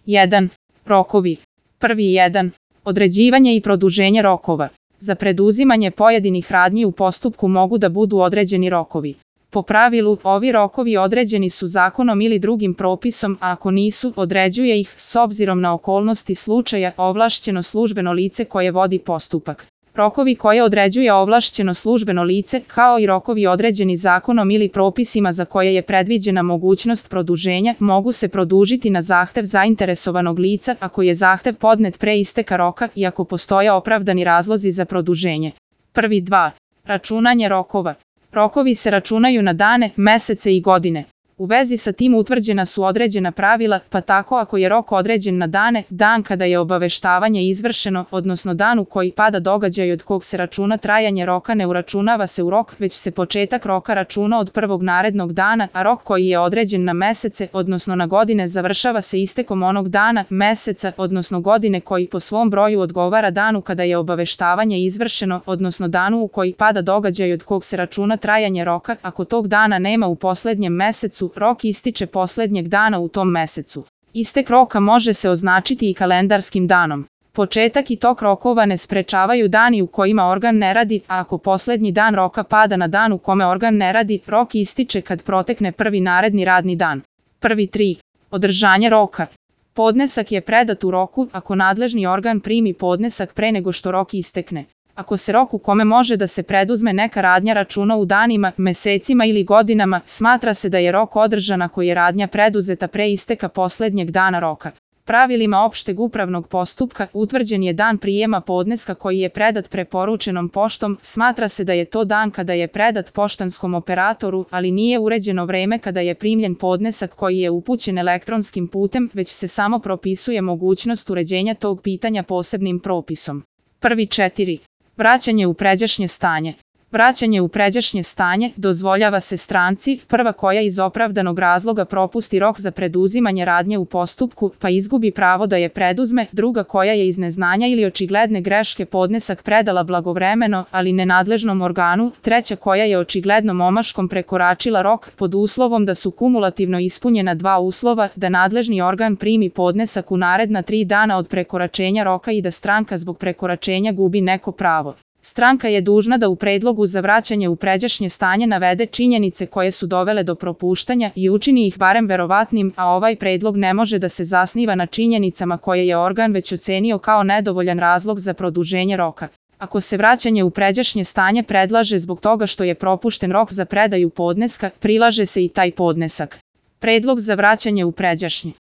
1. Rokovi. Prvi 1. Određivanje i produženje rokova. Za preduzimanje pojedinih radnji u postupku mogu da budu određeni rokovi. Po pravilu, ovi rokovi određeni su zakonom ili drugim propisom, a ako nisu, određuje ih, s obzirom na okolnosti slučaja, ovlašćeno službeno lice koje vodi postupak. Rokovi koje određuje ovlašćeno službeno lice, kao i rokovi određeni zakonom ili propisima za koje je predviđena mogućnost produženja, mogu se produžiti na zahtev zainteresovanog lica ako je zahtev podnet pre isteka roka i ako postoje opravdani razlozi za produženje. Prvi 2. Računanje rokova. Rokovi se računaju na dane, mesece i godine. U vezi sa tim utvrđena su određena pravila, pa tako ako je rok određen na dane, dan kada je obaveštavanje izvršeno, odnosno dan u koji pada događaj od kog se računa trajanje roka, ne uračunava se u rok, već se početak roka računa od prvog narednog dana, a rok koji je određen na mesece, odnosno na godine, završava se istekom onog dana, meseca, odnosno godine koji po svom broju odgovara danu kada je obaveštavanje izvršeno, odnosno danu u koji pada događaj od kog se računa trajanje roka. Ako tog dana nema u poslednjem mesecu, rok ističe poslednjeg dana u tom mesecu. Istek roka može se označiti i kalendarskim danom. Početak i tok rokova ne sprečavaju dani u kojima organ ne radi, a ako poslednji dan roka pada na dan u kome organ ne radi, rok ističe kad protekne prvi naredni radni dan. Prvi 3. Održanje roka. Podnesak je predat u roku ako nadležni organ primi podnesak pre nego što rok istekne. Ako se rok u kome može da se preduzme neka radnja računa u danima, mesecima ili godinama, smatra se da je rok održan ako je radnja preduzeta pre isteka poslednjeg dana roka. Pravilima opšteg upravnog postupka utvrđen je dan prijema podneska koji je predat preporučenom poštom, smatra se da je to dan kada je predat poštanskom operatoru, ali nije uređeno vreme kada je primljen podnesak koji je upućen elektronskim putem, već se samo propisuje mogućnost uređenja tog pitanja posebnim propisom. Prvi 4. Vraćanje u pređašnje stanje. Vraćanje u pređašnje stanje dozvoljava se stranci, prva koja iz opravdanog razloga propusti rok za preduzimanje radnje u postupku, pa izgubi pravo da je preduzme, druga koja je iz neznanja ili očigledne greške podnesak predala blagovremeno, ali nenadležnom organu, treća koja je očiglednom omaškom prekoračila rok, pod uslovom da su kumulativno ispunjena dva uslova, da nadležni organ primi podnesak u naredna 3 dana od prekoračenja roka i da stranka zbog prekoračenja gubi neko pravo. Stranka je dužna da u predlogu za vraćanje u pređašnje stanje navede činjenice koje su dovele do propuštanja i učini ih barem verovatnim, a ovaj predlog ne može da se zasniva na činjenicama koje je organ već ocenio kao nedovoljan razlog za produženje roka. Ako se vraćanje u pređašnje stanje predlaže zbog toga što je propušten rok za predaju podneska, prilaže se i taj podnesak. Predlog za vraćanje u pređašnje.